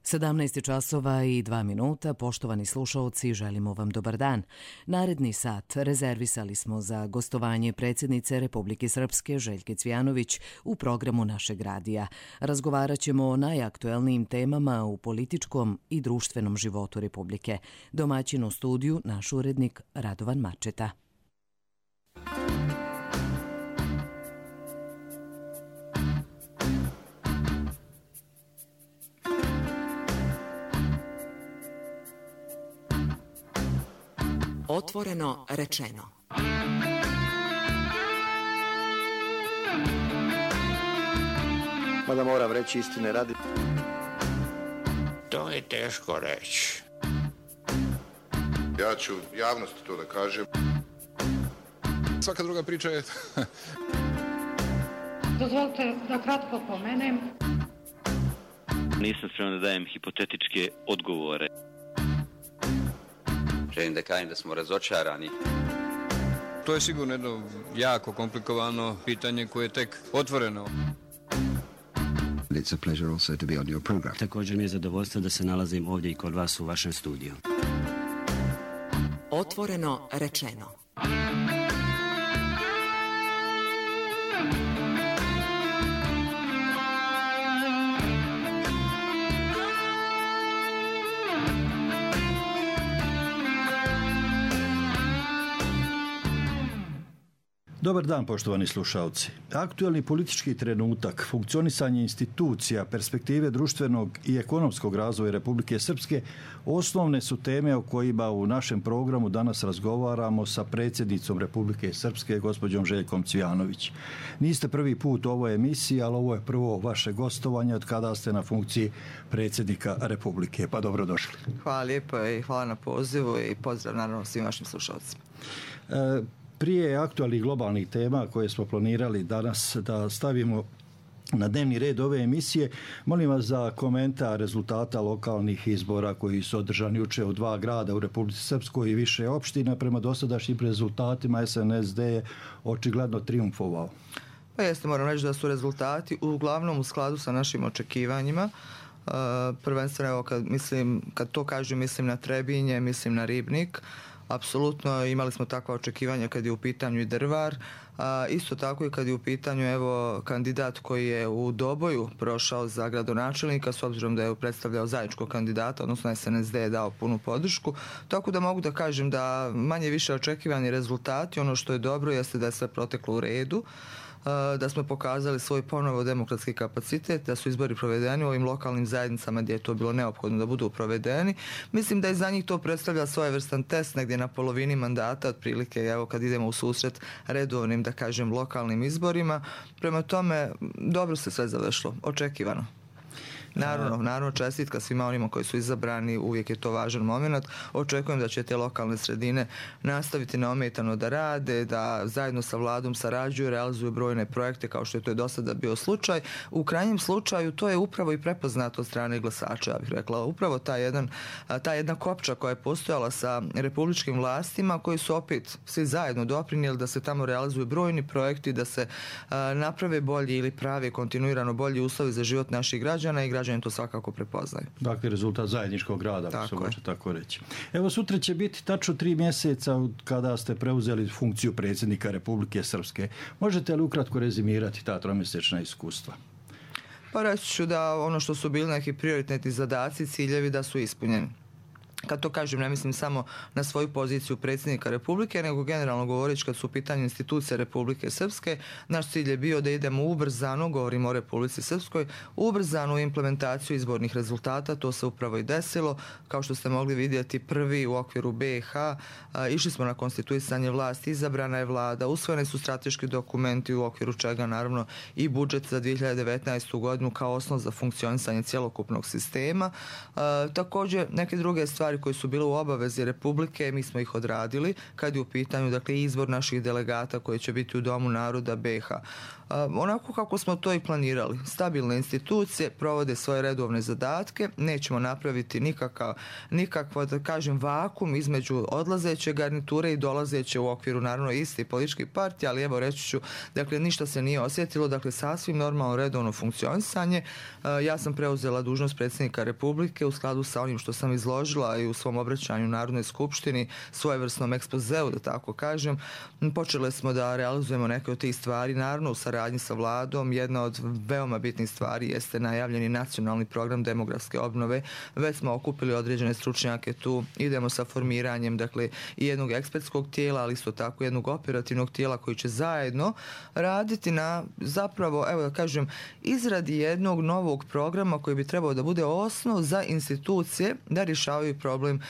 17 časova i 2 minuta, poštovani slušaoci, želimo vam dobar dan. Naredni sat rezervisali smo za gostovanje predsjednice Republike Srpske Željke Cvijanović u programu našeg radija. Razgovarat ćemo o najaktuelnijim temama u političkom i društvenom životu Republike. Domaćin u studiju naš urednik Radovan Mačeta. Otvoreno rečeno. Mada moram reći istine radi. To je teško reći. Ja ću javnosti to da kažem. Svaka druga priča je... Dozvolite da kratko pomenem. Nisam spreman da dajem hipotetičke odgovore. Želim da kažem da smo razočarani. To je sigurno jedno jako komplikovano pitanje koje je tek otvoreno. It's a pleasure also to be on your program. Također mi je zadovoljstvo da se nalazim ovdje i kod vas u vašem studiju. Otvoreno rečeno. Dobar dan, poštovani slušalci. Aktuelni politički trenutak, funkcionisanje institucija, perspektive društvenog i ekonomskog razvoja Republike Srpske osnovne su teme o kojima u našem programu danas razgovaramo sa predsjednicom Republike Srpske, gospođom Željkom Cvijanović. Niste prvi put u ovoj emisiji, ali ovo je prvo vaše gostovanje od kada ste na funkciji predsjednika Republike. Pa dobrodošli. Hvala lijepo i hvala na pozivu i pozdrav naravno svim vašim slušalcima. Prije aktualnih globalnih tema koje smo planirali danas da stavimo na dnevni red ove emisije, molim vas za komentar rezultata lokalnih izbora koji su održani jučer u 2 grada u Republici Srpskoj i više opština. Prema dosadašnjim rezultatima SNSD je očigledno triumfovao. Pa jeste, moram reći da su rezultati uglavnom u skladu sa našim očekivanjima. Prvenstveno, evo, kad to kažem, mislim na Trebinje, mislim na Ribnik. Apsolutno imali smo takva očekivanja kad je u pitanju i Drvar, isto tako i kad je u pitanju evo kandidat koji je u Doboju prošao za gradonačelnika, s obzirom da je predstavljao zajedničkog kandidata, odnosno SNSD je dao punu podršku, tako da mogu da kažem da manje više očekivani rezultati, ono što je dobro jeste da je sve proteklo u redu, da smo pokazali svoj ponovo demokratski kapacitet, da su izbori provedeni u ovim lokalnim zajednicama gdje je to bilo neophodno da budu provedeni. Mislim da i za njih to predstavlja svojevrstan test negdje na polovini mandata, otprilike evo kad idemo u susret redovnim, da kažem, lokalnim izborima. Prema tome, dobro se sve završilo, očekivano. Naravno, čestitka svima onima koji su izabrani, uvijek je to važan moment. Očekujem da će te lokalne sredine nastaviti neometano da rade, da zajedno sa vladom sarađuju, realizuju brojne projekte kao što je to do sada bio slučaj. U krajnjem slučaju to je upravo i prepoznato od strane glasača, ja bih rekla. Upravo ta jedna kopča koja je postojala sa republičkim vlastima koji su opet svi zajedno doprinijeli da se tamo realizuju brojni projekti, da se naprave bolji ili pravi kontinuirano bolji uslovi za život naših građana i građani to svakako prepoznaju. Dakle, rezultat zajedničkog rada, ako se može tako reći. Evo, sutra će biti tačno 3 mjeseca kada ste preuzeli funkciju predsjednika Republike Srpske. Možete li ukratko rezimirati ta 3-mjesečna iskustva? Pa reći ću da ono što su bili neki prioritetni zadaci, ciljevi da su ispunjeni. Kad to kažem, ne mislim samo na svoju poziciju predsjednika Republike, nego generalno govoreći kad su u pitanju institucije Republike Srpske, naš cilj je bio da idemo ubrzano, govorimo o Republici Srpskoj, ubrzanu implementaciju izbornih rezultata, to se upravo i desilo. Kao što ste mogli vidjeti, prvi u okviru BiH, išli smo na konstituisanje vlasti, izabrana je vlada, usvojeni su strateški dokumenti u okviru čega naravno i budžet za 2019. godinu kao osnov za funkcionisanje cjelokupnog sistema. Također, neke druge stvari stvari koje su bile u obavezi Republike, mi smo ih odradili kad je u pitanju dakle izbor naših delegata koji će biti u Domu naroda BiH. Onako kako smo to i planirali. Stabilne institucije provode svoje redovne zadatke, nećemo napraviti nikakav da kažem vakum između odlazeće garniture i dolazeće u okviru naravno isti politički partija, ali evo reći ću, dakle ništa se nije osjetilo, dakle sasvim normalno redovno funkcionisanje. Ja sam preuzela dužnost predsjednika Republike u skladu sa onim što sam izložila i u svom obraćanju Narodnoj skupštini, svojevrsnom ekspozeu, da tako kažem. Počeli smo da realizujemo neke od tih stvari, naravno u saradnji sa vladom. Jedna od veoma bitnih stvari jeste najavljeni nacionalni program demografske obnove. Već smo okupili određene stručnjake tu, idemo sa formiranjem dakle i jednog ekspertskog tijela, ali isto tako jednog operativnog tijela koji će zajedno raditi na zapravo, evo da kažem, izradi jednog novog programa koji bi trebao da bude osnov za institucije da rješavaju problem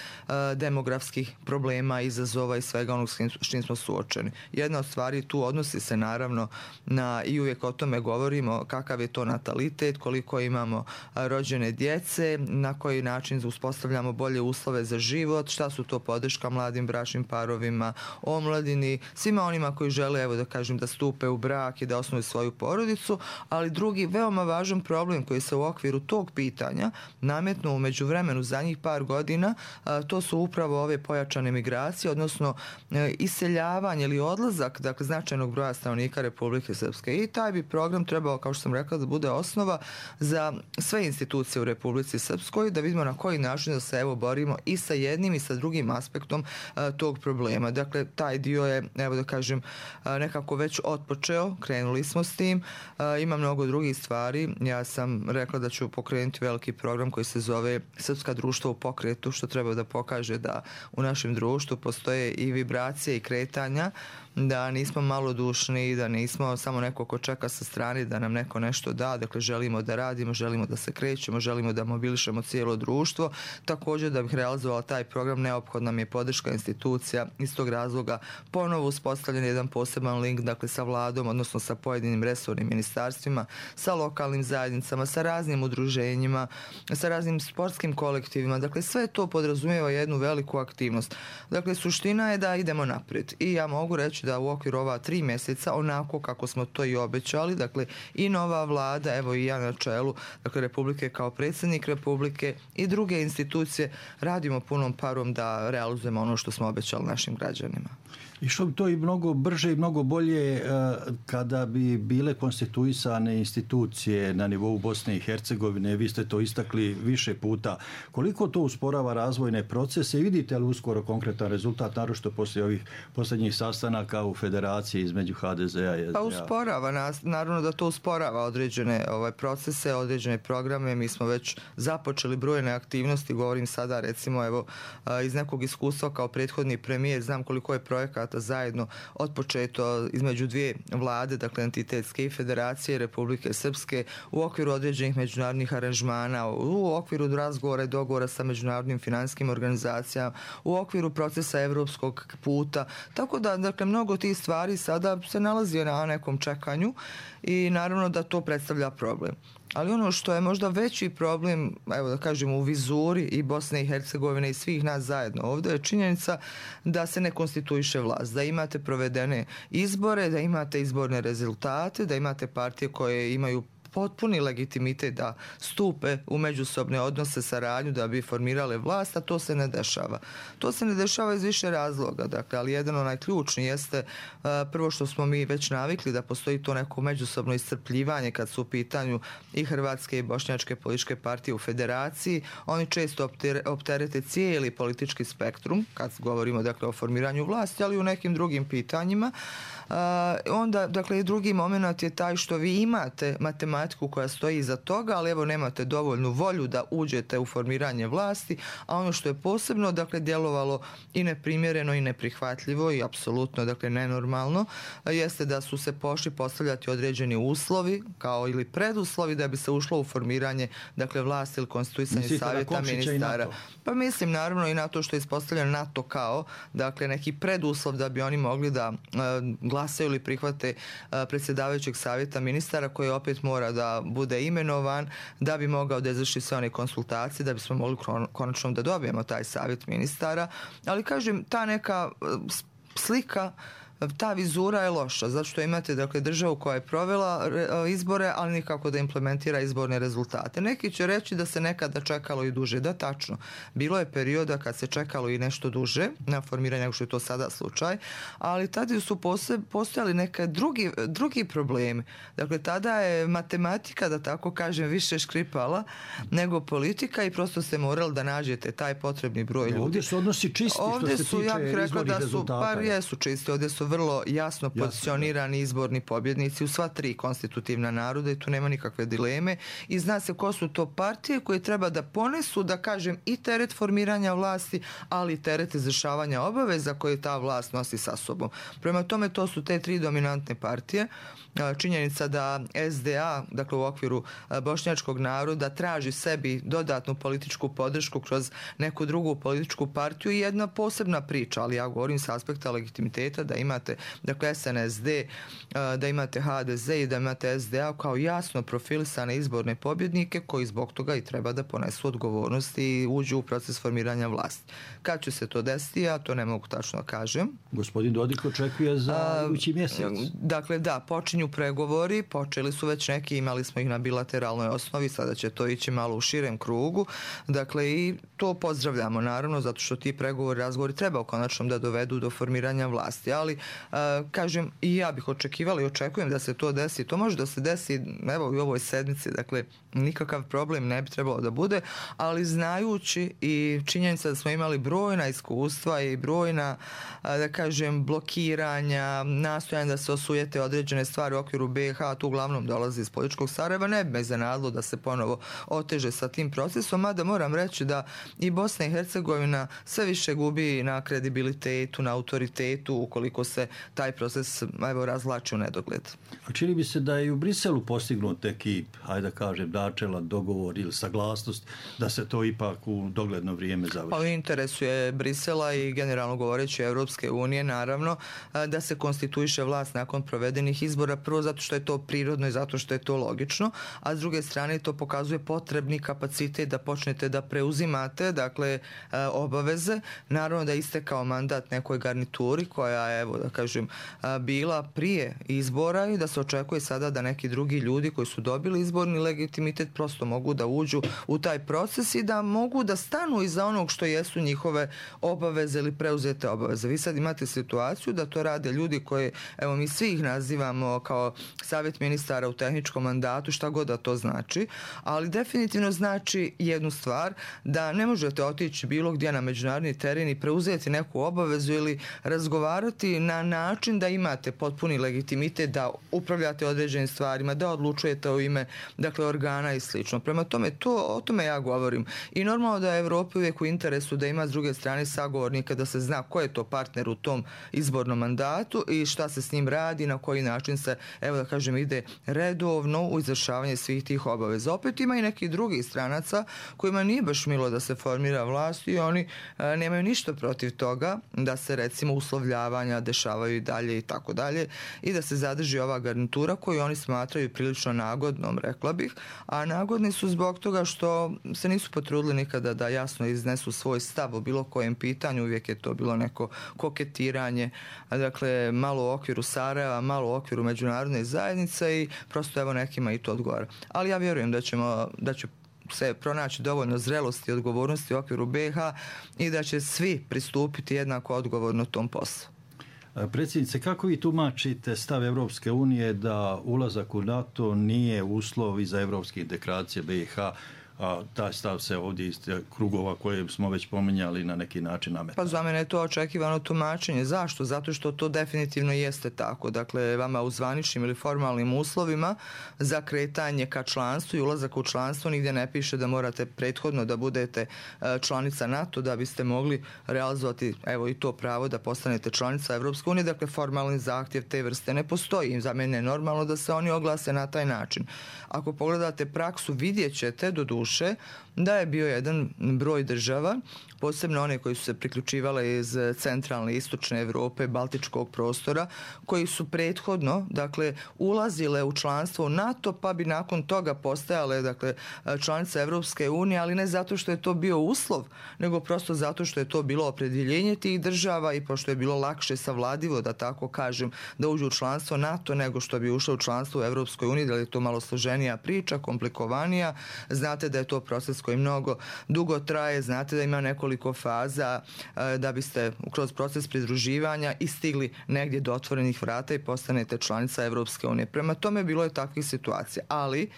demografskih problema, izazova i svega onog s čim smo suočeni. Jedna od stvari tu odnosi se naravno na, i uvijek o tome govorimo, kakav je to natalitet, koliko imamo rođene djece, na koji način uspostavljamo bolje uslove za život, šta su to podrška mladim bračnim parovima, omladini, svima onima koji žele, evo da kažem, da stupe u brak i da osnuju svoju porodicu, ali drugi veoma važan problem koji se u okviru tog pitanja nametnuo u međuvremenu zadnjih par godina, to su upravo ove pojačane migracije, odnosno iseljavanje ili odlazak dakle značajnog broja stanovnika Republike Srpske. I taj bi program trebao, kao što sam rekla, da bude osnova za sve institucije u Republici Srpskoj, da vidimo na koji način da se evo borimo i sa jednim i sa drugim aspektom tog problema. Dakle, taj dio je, evo da kažem, nekako već otpočeo, krenuli smo s tim, ima mnogo drugih stvari. Ja sam rekla da ću pokrenuti veliki program koji se zove Srpska društva u pokretu, što treba da pokaže da u našem društvu postoje i vibracije i kretanja, da nismo malodušni, da nismo samo neko ko čeka sa strane da nam neko nešto da, dakle želimo da radimo, želimo da se krećemo, želimo da mobilišemo cijelo društvo. Također da bih realizovala taj program neophodna mi je podrška institucija, iz tog razloga ponovo uspostavljen jedan poseban link dakle sa vladom, odnosno sa pojedinim resornim ministarstvima, sa lokalnim zajednicama, sa raznim udruženjima, sa raznim sportskim kolektivima, dakle sve to podrazumijeva jednu veliku aktivnost. Dakle, suština je da idemo naprijed i ja mogu reći da u okviru ova 3 mjeseca, onako kako smo to i obećali, dakle i nova vlada, evo i ja na čelu dakle Republike kao predsjednik Republike i druge institucije radimo punom parom da realizujemo ono što smo obećali našim građanima. I što bi to i mnogo brže i mnogo bolje kada bi bile konstituisane institucije na nivou Bosne i Hercegovine, vi ste to istakli više puta. Koliko to usporava razvojne procese i vidite li uskoro konkretan rezultat, naročito poslije ovih posljednjih sastanaka u federaciji između HDZ-a i SDA? Pa usporava nas, naravno da to usporava određene procese, određene programe. Mi smo već započeli brojne aktivnosti, govorim sada recimo evo iz nekog iskustva kao prethodni premijer, znam koliko je projekata zajedno otpočeto između dvije vlade, dakle entitetske i Federacije Republike Srpske u okviru određenih međunarodnih aranžmana, u okviru razgovora i dogovora sa međunarodnim finansijskim organizacijama, u okviru procesa evropskog puta. Tako da, dakle, mnogo tih stvari sada se nalazi na nekom čekanju i naravno da to predstavlja problem. Ali ono što je možda veći problem, evo da kažem, u vizuri i Bosne i Hercegovine i svih nas zajedno ovdje je činjenica da se ne konstituiše vlast, da imate provedene izbore, da imate izborne rezultate, da imate partije koje imaju potpuni legitimitet da stupe u međusobne odnose, saradnju, da bi formirale vlast, a to se ne dešava. To se ne dešava iz više razloga, dakle, ali jedan onaj ključni jeste prvo što smo mi već navikli da postoji to neko međusobno iscrpljivanje kad su u pitanju i hrvatske i bošnjačke političke partije u federaciji. Oni često opterete cijeli politički spektrum, kad govorimo dakle o formiranju vlasti, ali i u nekim drugim pitanjima. Onda, dakle, drugi moment je taj što vi imate matematiku koja stoji iza toga, ali evo nemate dovoljnu volju da uđete u formiranje vlasti, a ono što je posebno, dakle, djelovalo i neprimjereno i neprihvatljivo i apsolutno, dakle, nenormalno, jeste da su se pošli postavljati određeni uslovi, kao ili preduslovi da bi se ušlo u formiranje, dakle, vlasti ili konstituisanje savjeta ministara. Pa mislim, naravno, i na to što je ispostavljeno NATO kao, dakle, neki preduslov da bi oni mogli da glasaju ili prihvate predsjedavajućeg savjeta ministara koji opet mora da bude imenovan, da bi mogao da izvrši sve one konsultacije, da bismo mogli konačno da dobijemo taj savjet ministara. Ali kažem, ta neka slika, ta vizura je loša, zato što imate dakle, državu koja je provela izbore, ali nikako da implementira izborne rezultate. Neki će reći da se nekada čekalo i duže. Da, tačno. Bilo je perioda kad se čekalo i nešto duže na formiranje nego što je to sada slučaj, ali tada su postojali neke drugi problemi. Dakle, tada je matematika, da tako kažem, više škripala nego politika i prosto ste morali da nađete taj potrebni broj ljudi. Ovdje su odnosi čisti ovdje što se su, tiče ja bih rekla da su, rezultata. par jesu čisti, ovdje su vrlo jasno pozicionirani izborni pobjednici u sva tri konstitutivna naroda i tu nema nikakve dileme i zna se ko su to partije koje treba da ponesu, da kažem, i teret formiranja vlasti, ali i teret izvršavanja obaveza koje ta vlast nosi sa sobom. Prema tome, to su te tri dominantne partije. Činjenica da SDA, dakle u okviru bošnjačkog naroda, traži sebi dodatnu političku podršku kroz neku drugu političku partiju i jedna posebna priča, ali ja govorim s aspekta legitimiteta da imate dakle SNSD, da imate HDZ i da imate SDA kao jasno profilisane izborne pobjednike koji zbog toga i treba da ponesu odgovornost i uđu u proces formiranja vlasti. Kad će se to desiti, ja to ne mogu tačno kažem. Gospodin Dodik očekuje za idući mjesec. Dakle, da, počinju pregovori, počeli su već neki, imali smo ih na bilateralnoj osnovi, sada će to ići malo u širem krugu. Dakle, i to pozdravljamo, naravno, zato što ti pregovori, razgovori treba konačno da dovedu do formiranja vlasti. Ali, kažem, i ja bih očekivala i očekujem da se to desi. To može da se desi, evo, i u ovoj sedmici, dakle, nikakav problem ne bi trebalo da bude, ali znajući i činjenica da smo imali brojna iskustva i brojna, da kažem, blokiranja, nastojanja da se osujete određene stvari u okviru BiH, tu uglavnom dolazi iz političkog Sarajeva, ne bi me iznenadilo da se ponovo oteže sa tim procesom, mada moram reći da i Bosna i Hercegovina sve više gubi na kredibilitetu, na autoritetu, ukoliko se taj proces, evo, razvlači u nedogled. A čini bi se da je i u Briselu postignut neki, hajde da kažem, načelan dogovor ili saglasnost da se to ipak u dogledno vrijeme završi. Pa u interesu je Brisela i generalno govoreći Evropske unije, naravno, da se konstituiše vlast nakon provedenih izbora, prvo zato što je to prirodno i zato što je to logično, a s druge strane to pokazuje potrebni kapacitet da počnete da preuzimate, dakle, obaveze. Naravno da je istekao mandat nekoj garnituri koja je, evo da kažem, bila prije izbora i da se očekuje sada da neki drugi ljudi koji su dobili izborni legitimitet prosto mogu da uđu u taj proces i da mogu da stanu iza onog što jesu njihove obaveze ili preuzete obaveze. Vi sad imate situaciju da to rade ljudi koje, evo, mi svi ih nazivamo kao savjet ministara u tehničkom mandatu, šta god da to znači, ali definitivno znači jednu stvar, da ne možete otići bilo gdje na međunarodni teren i preuzeti neku obavezu ili razgovarati na način da imate potpuni legitimitet da upravljate određenim stvarima, da odlučujete u ime, dakle, organa i slično. Prema tome, o tome ja govorim. I normalno da je Evropi uvijek u interesu da ima s druge strane sagovornika, da se zna ko je to partner u tom izbornom mandatu i šta se s njim radi, na koji način se, evo da kažem, ide redovno u izvršavanje svih tih obaveza. Opet ima i nekih drugih stranaca kojima nije baš milo da se formira vlast i oni nemaju ništa protiv toga da se, recimo, uslovljavanja dešavaju i dalje i tako dalje i da se zadrži ova garnitura koju oni smatraju prilično nagodnom, rekla bih, a nagodni su zbog toga što se nisu potrudili nikada da jasno iznesu svoj stav o bilo kojem pitanju, uvijek je to bilo neko koketiranje, dakle, malo u okviru Sarajeva, malo u okviru međunarodne zajednice i prosto, evo, nekima i to odgovara. Ali ja vjerujem da će se pronaći dovoljno zrelosti i odgovornosti u okviru BiH i da će svi pristupiti jednako odgovorno tom poslu. Predsjednice, kako vi tumačite stav Evropske unije da ulazak u NATO nije uslov i za evropske integracije BiH, a taj stav se ovdje iz krugova koje smo već pominjali na neki način nametao? Pa za mene je to očekivano tumačenje. Zašto? Zato što to definitivno jeste tako. Dakle, vama u zvaničnim ili formalnim uslovima za kretanje ka članstvu i ulazak u članstvo nigdje ne piše da morate prethodno da budete članica NATO da biste mogli realizovati, evo, i to pravo da postanete članica Evropske unije. Dakle, formalni zahtjev te vrste ne postoji. Za mene je normalno da se oni oglase na taj način. Ako pogledate praksu, vidjet ćete, doduše, duše da je bio jedan broj država, posebno one koji su se priključivale iz centralne i istočne Europe, baltičkog prostora, koji su prethodno, dakle, ulazile u članstvo u NATO, pa bi nakon toga postajale, dakle, članice Evropske unije, ali ne zato što je to bio uslov, nego prosto zato što je to bilo opredjeljenje tih država i pošto je bilo lakše savladivo, da tako kažem, da uđu u članstvo NATO nego što bi ušlo u članstvo u Evropskoj uniji, da li je to malo složenija priča, komplikovanija. Znate da je to proces koji mnogo dugo traje, znate da ima nekoliko faza da biste kroz proces pridruživanja i stigli negdje do otvorenih vrata i postanete članica Evropske unije. Prema tome bilo je takvih situacija, ali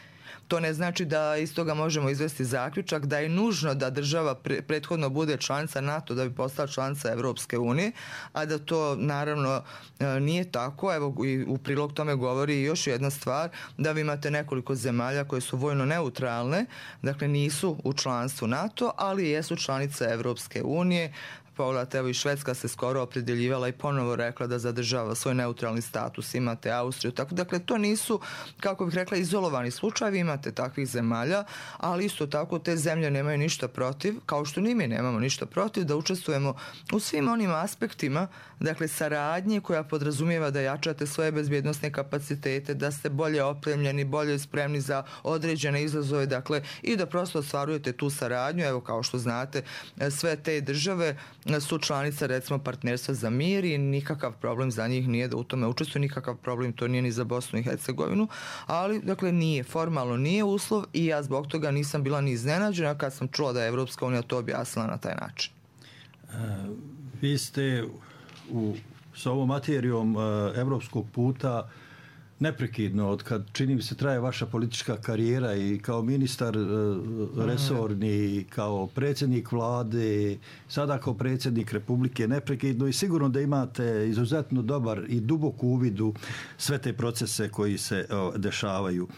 to ne znači da iz toga možemo izvesti zaključak da je nužno da država prethodno bude članica NATO da bi postala članica Evropske unije, a da to naravno nije tako. Evo, i u prilog tome govori još jedna stvar, da vi imate nekoliko zemalja koje su vojno neutralne, dakle nisu u članstvu NATO, ali jesu članice Evropske unije. Pogledajte, evo i Švedska se skoro opredjeljivala i ponovo rekla da zadržava svoj neutralni status, imate Austriju, tako, dakle to nisu, kako bih rekla, izolovani slučajevi, imate takvih zemalja, ali isto tako te zemlje nemaju ništa protiv, kao što ni mi nemamo ništa protiv, da učestvujemo u svim onim aspektima, dakle saradnje koja podrazumijeva da jačate svoje bezbjednosne kapacitete, da ste bolje opremljeni, bolje spremni za određene izazove, dakle i da prosto ostvarujete tu saradnju. Evo, kao što znate, sve te države su članice, recimo, partnerstva za mir i nikakav problem za njih nije da u tome učestvuju, nikakav problem to nije ni za Bosnu i Hercegovinu, ali, dakle, nije, formalno nije uslov i ja zbog toga nisam bila ni iznenađena kad sam čula da je Evropska unija to objasnila na taj način. Vi ste sa ovom materijom evropskog puta neprekidno, od kad čini mi se traje vaša politička karijera i kao ministar resorni, kao predsjednik vlade, sada kao predsjednik Republike, neprekidno i sigurno da imate izuzetno dobar i dubok uvid u sve te procese koji se dešavaju.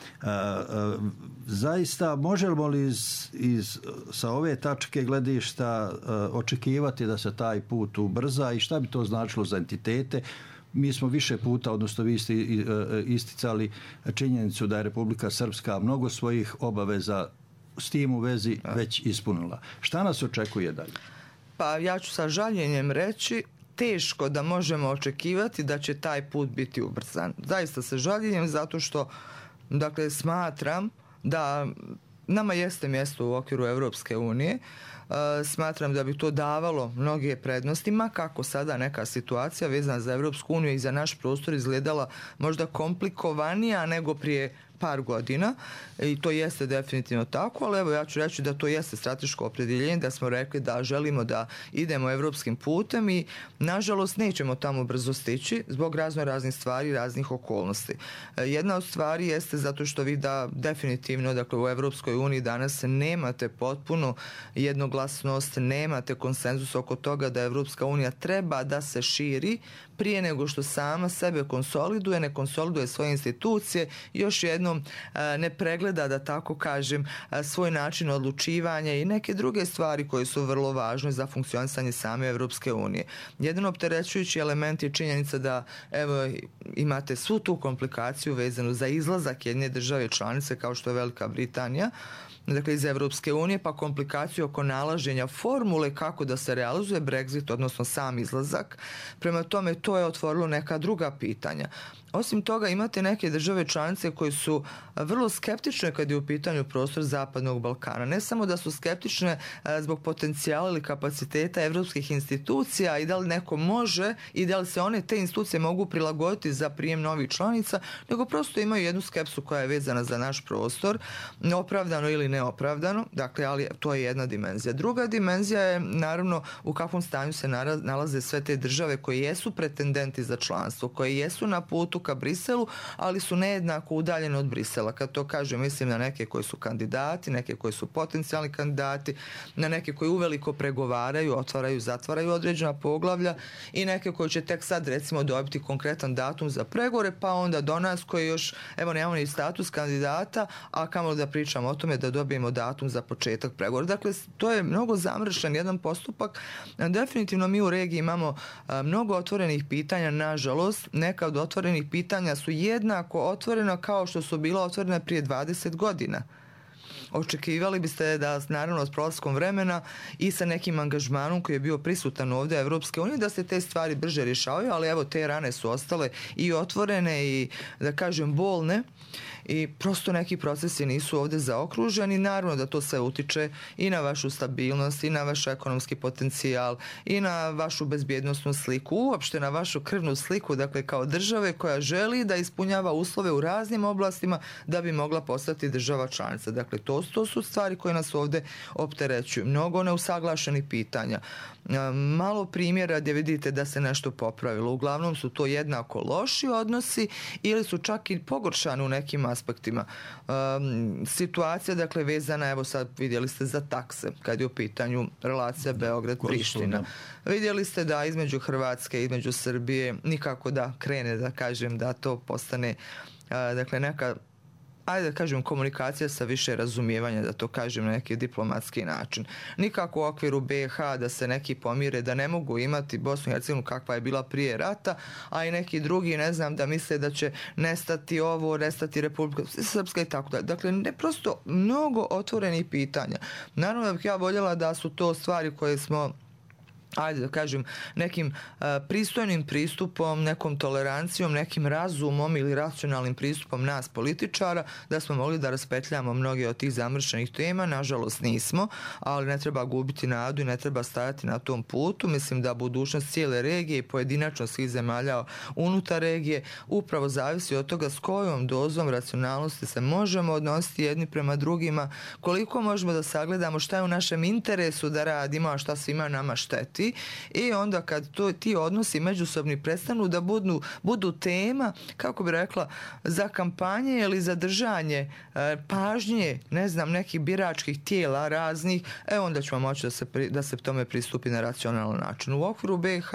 Zaista, možemo li sa ove tačke gledišta očekivati da se taj put ubrza i šta bi to značilo za entitete? Mi smo više puta, odnosno vi ste isticali činjenicu da je Republika Srpska mnogo svojih obaveza s tim u vezi već ispunila. Šta nas očekuje dalje? Pa ja ću sa žaljenjem reći, teško da možemo očekivati da će taj put biti ubrzan. Zaista sa žaljenjem, zato što, dakle, smatram da nama jeste mjesto u okviru Evropske unije. Smatram da bi to davalo mnoge prednosti, ma kako sada neka situacija vezana za Evropsku uniju i za naš prostor izgledala možda komplikovanija nego prije par godina i to jeste definitivno tako, ali evo ja ću reći da to jeste strateško opredjeljenje, da smo rekli da želimo da idemo evropskim putem i nažalost nećemo tamo brzo stići zbog raznih stvari, raznih okolnosti. Jedna od stvari jeste zato što vi da definitivno, dakle, u Evropskoj uniji danas nemate potpuno jednoglasnost, nemate konsenzus oko toga da Evropska unija treba da se širi prije nego što sama sebe konsoliduje, ne konsoliduje svoje institucije, još jednom ne pregleda, da tako kažem, svoj način odlučivanja i neke druge stvari koje su vrlo važne za funkcionisanje same Evropske unije. Jedan opterećujući element je činjenica da, evo, imate svu tu komplikaciju vezanu za izlazak jedne države članice kao što je Velika Britanija, dakle iz Evropske unije, pa komplikaciju oko nalaženja formule kako da se realizuje Brexit, odnosno sam izlazak. Prema tome, to je otvorilo neka druga pitanja. Osim toga, imate neke države članice koje su vrlo skeptične kad je u pitanju prostor Zapadnog Balkana. Ne samo da su skeptične zbog potencijala ili kapaciteta evropskih institucija i da li neko može i da li se te institucije mogu prilagoditi za prijem novih članica, nego prosto imaju jednu skepsu koja je vezana za naš prostor, opravdano ili neopravdano, dakle, ali to je jedna dimenzija. Druga dimenzija je, naravno, u kakvom stanju se nalaze sve te države koje jesu pretendenti za članstvo, koje jesu na putu ka Briselu, ali su nejednako udaljene od Brisela. Kad to kažem, mislim na neke koji su kandidati, neke koji su potencijalni kandidati, na neke koji uveliko pregovaraju, otvaraju, zatvaraju određena poglavlja i neke koji će tek sad, recimo, dobiti konkretan datum za pregovore, pa onda do nas koji još, evo, nemamo ni status kandidata, a kamo da pričamo o tome da dobijemo datum za početak pregovora. Dakle, to je mnogo zamršen jedan postupak. Definitivno mi u regiji imamo mnogo otvorenih pitanja, nažalost. Neka od otvorenih pitanja su jednako otvorena kao što su bila otvorena prije 20 godina. očekivali biste da naravno s prolaskom vremena i sa nekim angažmanom koji je bio prisutan ovdje Evropske unije da se te stvari brže rješavaju, ali evo te rane su ostale i otvorene i da kažem bolne i prosto neki procesi nisu ovdje zaokruženi. Naravno da to sve utiče i na vašu stabilnost i na vaš ekonomski potencijal i na vašu bezbjednosnu sliku, uopšte na vašu krvnu sliku, dakle kao države koja želi da ispunjava uslove u raznim oblastima da bi mogla postati država članica. Dakle, to su stvari koje nas ovdje opterećuju. Mnogo neusaglašenih pitanja. Malo primjera gdje vidite da se nešto popravilo. Uglavnom su to jednako loši odnosi ili su čak i pogoršani u nekim aspektima. Situacija, dakle, vezana, evo sad vidjeli ste za takse, kad je u pitanju relacija Beograd-Priština. Vidjeli ste da između Hrvatske i između Srbije nikako da krene, da kažem, da to postane, dakle, neka, ajde da kažem, komunikacija sa više razumijevanja, da to kažem na neki diplomatski način. Nikako u okviru BiH da se neki pomire, da ne mogu imati Bosnu i Hercegovinu kakva je bila prije rata, a i neki drugi, ne znam, da misle da će nestati ovo, nestati Republika Srpska i tako dalje. Dakle, ne, prosto mnogo otvorenih pitanja. Naravno da bih ja voljela da su to stvari koje smo, ajde da kažem, nekim pristojnim pristupom, nekom tolerancijom, nekim razumom ili racionalnim pristupom nas političara, da smo mogli da raspetljamo mnoge od tih zamršenih tema. Nažalost nismo, ali ne treba gubiti nadu i ne treba stajati na tom putu. Mislim da budućnost cijele regije i pojedinačno svih zemalja unutar regije upravo zavisi od toga s kojom dozom racionalnosti se možemo odnositi jedni prema drugima, koliko možemo da sagledamo šta je u našem interesu da radimo, a šta svima nama šteti. I onda kad ti odnosi međusobni prestanu da budu tema, kako bi rekla, za kampanje ili za držanje pažnje, ne znam, nekih biračkih tijela raznih, onda ćemo moći da se tome pristupi na racionalan način. U okviru BiH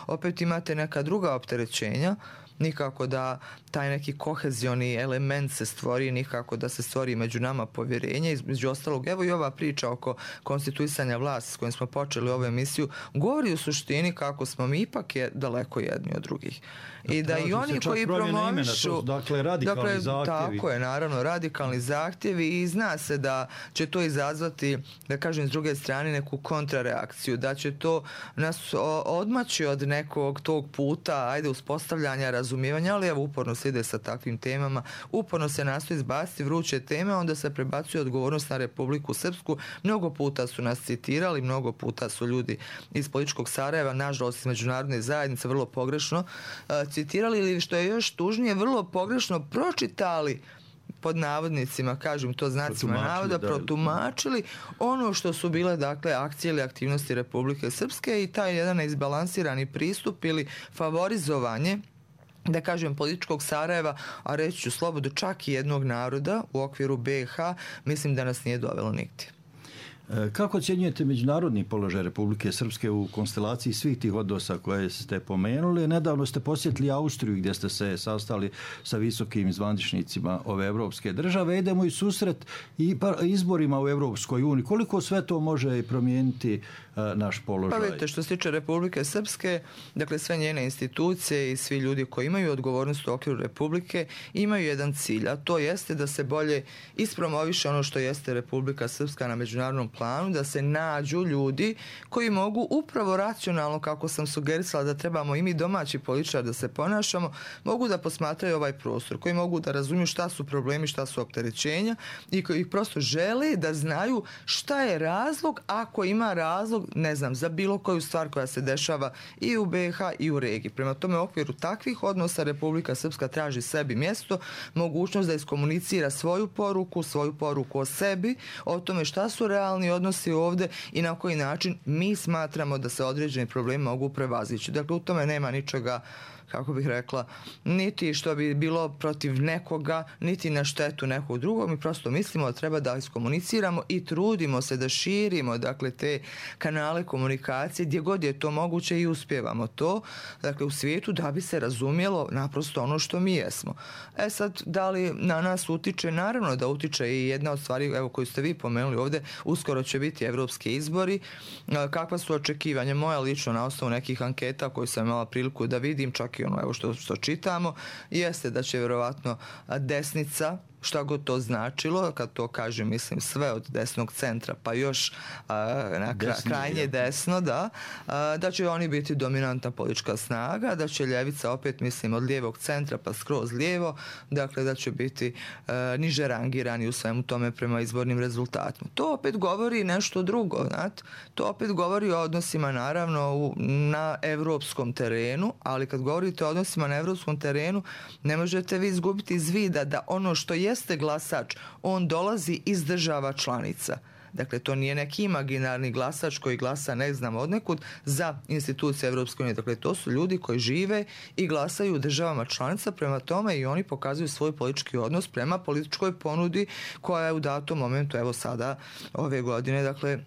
opet imate neka druga opterećenja, nikako da taj neki kohezioni element se stvori, nikako da se stvori među nama povjerenje. Između ostalog, evo i ova priča oko konstituisanja vlasti s kojim smo počeli ovu emisiju, govori u suštini kako smo mi ipak daleko jedni od drugih. I da i oni koji promovišu, dakle, radikalni zahtjevi. Tako je, naravno, radikalni zahtjevi i zna se da će to izazvati, da kažem, s druge strane neku kontrareakciju, da će to nas odmaći od nekog tog puta, ajde, uspostavljanja razumijevanja, ali evo uporno se ide sa takvim temama, uporno se nastoji izbaciti vruće teme, onda se prebacuje odgovornost na Republiku Srpsku. Mnogo puta su nas citirali, mnogo puta su ljudi iz političkog Sarajeva, nažalost iz međunarodne zajednice, vrlo pogrešno citirali ili, što je još tužnije, vrlo pogrešno pročitali, pod navodnicima, kažem to znacima navoda, protumačili ono što su bile, dakle, akcije ili aktivnosti Republike Srpske i taj jedan izbalansirani pristup ili favorizovanje, da kažem, političkog Sarajeva, a reći ću slobodno čak i jednog naroda u okviru BiH, mislim da nas nije dovelo nigdje. Kako ocjenjujete međunarodni položaj Republike Srpske u konstelaciji svih tih odnosa koje ste pomenuli? Nedavno ste posjetili Austriju gdje ste se sastali sa visokim zvaničnicima ove evropske države. Idemo i susret i izborima u Evropskoj uniji. Koliko sve to može promijeniti naš položaj? Pa vidite, što se tiče Republike Srpske, dakle sve njene institucije i svi ljudi koji imaju odgovornost u okviru Republike imaju jedan cilj, a to jeste da se bolje ispromoviše ono što jeste Republika Srpska na međunarodnom planu, da se nađu ljudi koji mogu upravo racionalno, kako sam sugerisala da trebamo i mi domaći političari da se ponašamo, mogu da posmatraju ovaj prostor, koji mogu da razumiju šta su problemi, šta su opterećenja i koji prosto žele da znaju šta je razlog, ako ima razlog, ne znam, za bilo koju stvar koja se dešava i u BiH i u regiji. Prema tome, u okviru takvih odnosa Republika Srpska traži sebi mjesto, mogućnost da iskomunicira svoju poruku o sebi, o tome šta su realni odnosi ovdje i na koji način mi smatramo da se određeni problemi mogu prevazići. Dakle, u tome nema ničega, kako bih rekla, niti što bi bilo protiv nekoga, niti na štetu nekog drugog. Mi prosto mislimo da treba da iskomuniciramo i trudimo se da širimo, dakle, te kanale komunikacije gdje god je to moguće i uspijevamo to, dakle, u svijetu, da bi se razumjelo naprosto ono što mi jesmo. Sad, da li na nas utiče? Naravno da utiče i jedna od stvari, evo, koju ste vi pomenuli ovdje, uskoro će biti evropski izbori. Kakva su očekivanja moja lično na osnovu nekih anketa koje sam imala priliku da vidim, čak i ono, evo, što čitamo, jeste da će vjerovatno desnica, šta god to značilo, kad to kažem, mislim sve od desnog centra pa još na krajnje desno, da će oni biti dominantna politička snaga, da će ljevica opet, mislim, od lijevog centra pa skroz lijevo, dakle da će biti niže rangirani u svemu tome prema izbornim rezultatima. To opet govori nešto drugo, znate? To opet govori o odnosima naravno na evropskom terenu, ali kad govorite o odnosima na evropskom terenu, ne možete vi izgubiti iz vida da ono što jeste glasač, on dolazi iz država članica. Dakle, to nije neki imaginarni glasač koji glasa ne znam odnekud za institucije Evropske unije. Dakle, to su ljudi koji žive i glasaju u državama članica, prema tome i oni pokazuju svoj politički odnos prema političkoj ponudi koja je u datom momentu, evo sada, ove godine, dakle,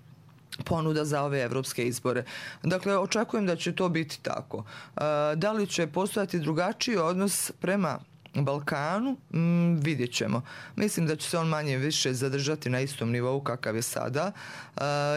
ponuda za ove evropske izbore. Dakle, očekujem da će to biti tako. Da li će postojati drugačiji odnos prema Balkanu, vidjet ćemo. Mislim da će se on manje više zadržati na istom nivou kakav je sada.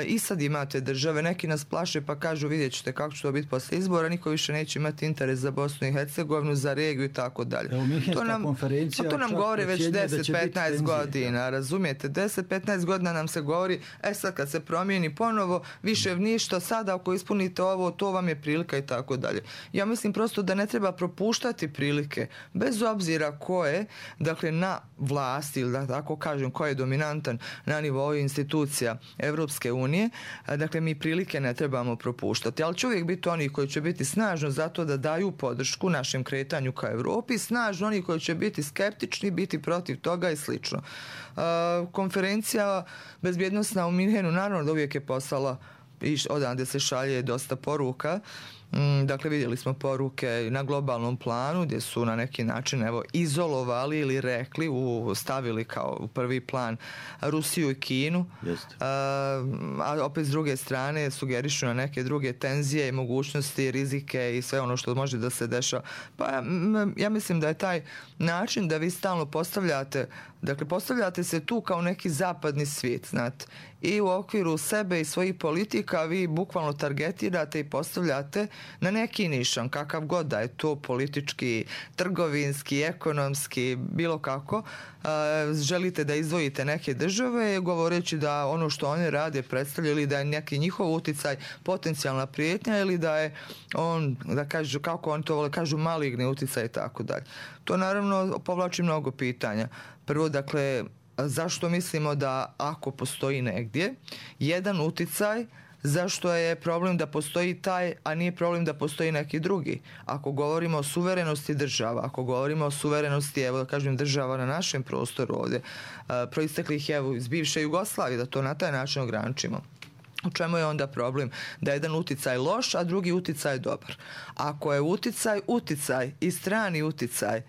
I sad imate države, neki nas plaše pa kažu vidjet ćete kako će to biti posle izbora, niko više neće imati interes za Bosnu i Hercegovinu, za regiju i tako dalje. To nam govori već 10-15 godina, razumijete? 10-15 godina nam se govori, sad kad se promijeni ponovo, više ništa, sada ako ispunite ovo, to vam je prilika i tako dalje. Ja mislim prosto da ne treba propuštati prilike, bez obzira ko je, dakle, na vlasti, ili da tako kažem, ko je dominantan na nivou institucija Evropske unije, dakle, mi prilike ne trebamo propuštati. Ali će uvijek biti oni koji će biti snažno zato da daju podršku našem kretanju ka Evropi, snažno oni koji će biti skeptični, biti protiv toga i slično. Konferencija bezbjednosna u Minhenu, naravno da uvijek je poslala i odande se šalje dosta poruka. Dakle, vidjeli smo poruke na globalnom planu gdje su na neki način izolovali ili rekli, stavili kao u prvi plan Rusiju i Kinu, a opet s druge strane sugerišu na neke druge tenzije i mogućnosti, rizike i sve ono što može da se dešava. Pa ja mislim da je taj način da vi stalno postavljate se tu kao neki zapadni svijet, znate, i u okviru sebe i svojih politika vi bukvalno targetirate i postavljate na neki nišan, kakav god da je to politički, trgovinski, ekonomski, bilo kako, želite da izdvojite neke države govoreći da ono što oni rade predstavlja ili da je neki njihov uticaj potencijalna prijetnja ili da je on, da kažu, kako oni to vole, kažu maligni uticaj i tako dalje. To naravno povlači mnogo pitanja. Prvo, dakle, zašto mislimo da ako postoji negdje jedan uticaj, zašto je problem da postoji taj, a nije problem da postoji neki drugi? Ako govorimo o suverenosti država, ako govorimo o suverenosti, evo da kažem, država na našem prostoru ovdje, proisteklih iz bivše Jugoslavije, da to na taj način ograničimo. U čemu je onda problem? Da je jedan uticaj loš, a drugi uticaj dobar. Ako je uticaj i strani uticaj,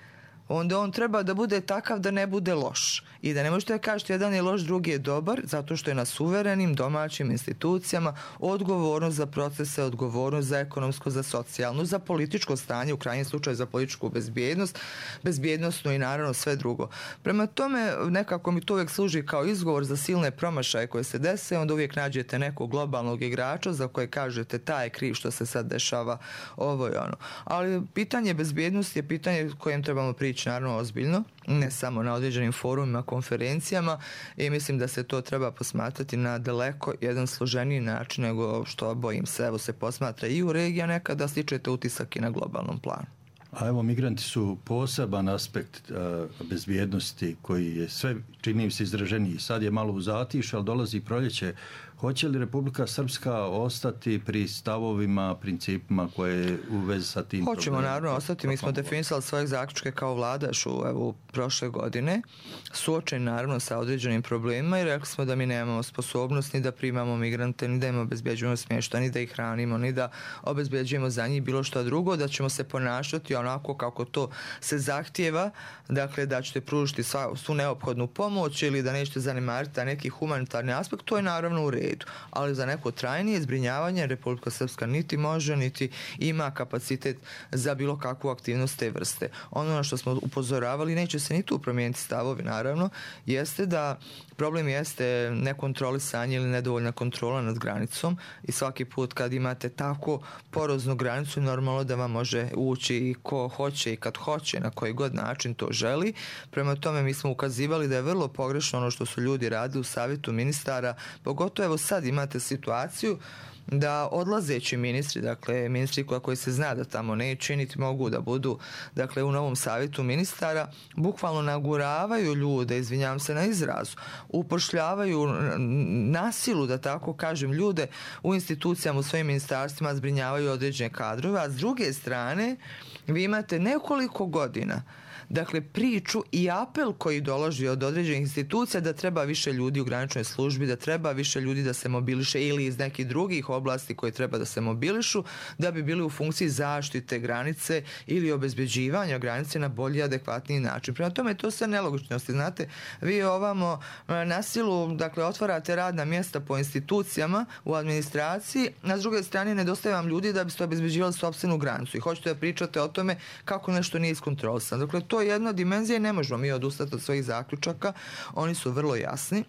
onda on treba da bude takav da ne bude loš. I da ne možete kažete jedan je loš, drugi je dobar, zato što je na suverenim domaćim institucijama odgovornost za procese, odgovornost za ekonomsko, za socijalnu, za političko stanje, u krajnjem slučaju za političku bezbjednost, bezbjednostnu i naravno sve drugo. Prema tome, nekako mi to uvijek služi kao izgovor za silne promašaje koje se dese, onda uvijek nađete nekog globalnog igrača za koje kažete taj je kriv što se sad dešava ovo i ono. Ali pitanje bezbjednosti je pitanje kojem trebamo prići naravno ozbiljno, ne samo na određenim forumima, konferencijama, i mislim da se to treba posmatrati na daleko jedan složeniji način nego što, bojim se, evo se posmatra i u regiji, a nekada stičete utisak i na globalnom planu. A evo, migranti su poseban aspekt bezbjednosti koji je sve, čini mi se, izraženiji. Sad je malo u zatišu, ali dolazi proljeće. Hoće li Republika Srpska ostati pri stavovima, principima koje u vezi sa tim problemom? Hoćemo naravno ostati. Mi smo definisali svoje zaključke kao vlada u prošle godine, suočeni naravno sa određenim problemima i rekli smo da mi nemamo sposobnost ni da primamo migrante, ni da im obezbjeđujemo smještaj, ni da ih hranimo, ni da obezbjeđujemo za njih bilo što drugo, da ćemo se ponašati onako kako to se zahtijeva, dakle da ćete pružiti svu neophodnu pomoć ili da nećete zanemariti neki humanitarni aspekt, to je naravno u redu. Ali za neko trajnije zbrinjavanje Republika Srpska niti može, niti ima kapacitet za bilo kakvu aktivnost te vrste. Ono na što smo upozoravali, neće se ni tu promijeniti stavovi, naravno, jeste da problem jeste nekontrolisanje ili nedovoljna kontrola nad granicom i svaki put kad imate tako poroznu granicu, normalno da vam može ući i ko hoće i kad hoće, na koji god način to želi. Prema tome mi smo ukazivali da je vrlo pogrešno ono što su ljudi radili u savjetu ministara, pogotovo evo sad imate situaciju da odlazeći ministri, dakle ministri koji se zna da tamo neće niti mogu da budu, dakle u novom savjetu ministara, bukvalno naguravaju ljude, izvinjavam se na izrazu, upošljavaju na silu, da tako kažem, ljude u institucijama, u svojim ministarstvima, zbrinjavaju određene kadrove, a s druge strane vi imate nekoliko godina, dakle priču i apel koji dolazi od određenih institucija da treba više ljudi u graničnoj službi, da treba više ljudi da se mobiliše ili iz nekih drugih oblasti koje treba da se mobilišu da bi bili u funkciji zaštite granice ili obezbeđivanja granice na bolji i adekvatniji način. Prema tome to sve nelogičnosti. Znate, vi ovamo na silu, dakle, otvarate radna mjesta po institucijama u administraciji, a s druge strane nedostaje vam ljudi da biste obezbeđivali sopstvenu granicu i hoćete da pričate o tome kako nešto nije iskontrolisano. Dakle, to je jedna dimenzija i ne možemo mi odustati od svojih zaključaka, oni su vrlo jasni.